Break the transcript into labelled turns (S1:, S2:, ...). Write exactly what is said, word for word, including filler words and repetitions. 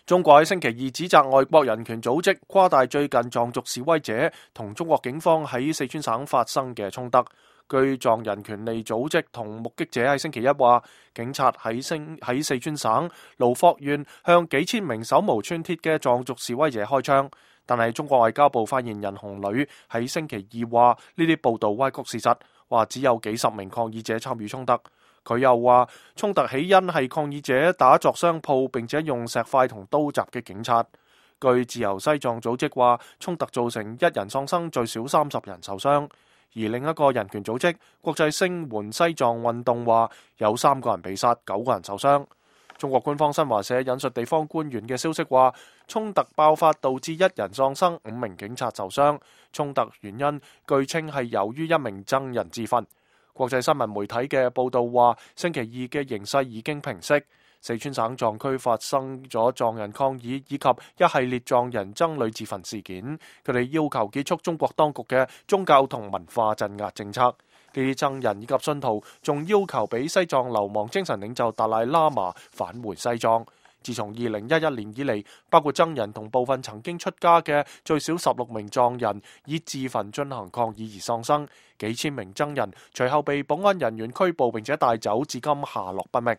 S1: 中國喺星期二指責外國人權組織誇大最近藏族示威者同中國警方喺四川省發生嘅衝突。據藏人權利組織同目擊者喺星期一話，警察喺星喺四川省盧霍縣向幾千名手無寸鐵嘅藏族示威者開槍。但係中國外交部發言人洪磊喺星期二話呢啲報道歪曲事實，話只有幾十名抗議者參與衝突。佢又話衝突起因係抗議者打作商鋪，並且用石塊同刀襲擊警察。據自由西藏組織話，衝突造成一人喪生，最少三十人受傷。而另一個人權組織國際聲援西藏運動話，有三個人被殺，九個人受傷。中國官方新華社引述地方官員嘅消息話，衝突爆發導致一人喪生，五名警察受傷。衝突原因據稱係由於一名僧人自焚。國際新聞媒體嘅報道話，星期二嘅形勢已經平息。四川省藏區發生咗藏人抗議以及一系列藏人僧侶自焚事件，佢哋要求結束中國當局嘅宗教同文化鎮壓政策。呢啲僧人以及信徒仲要求俾西藏流亡精神領袖達賴喇嘛返回西藏。自從二零一一年以嚟，包括僧人同部分曾經出家嘅最少十六名藏人以自焚進行抗議而喪生，幾千名僧人隨後被保安人員拘捕並且帶走，至今下落不明。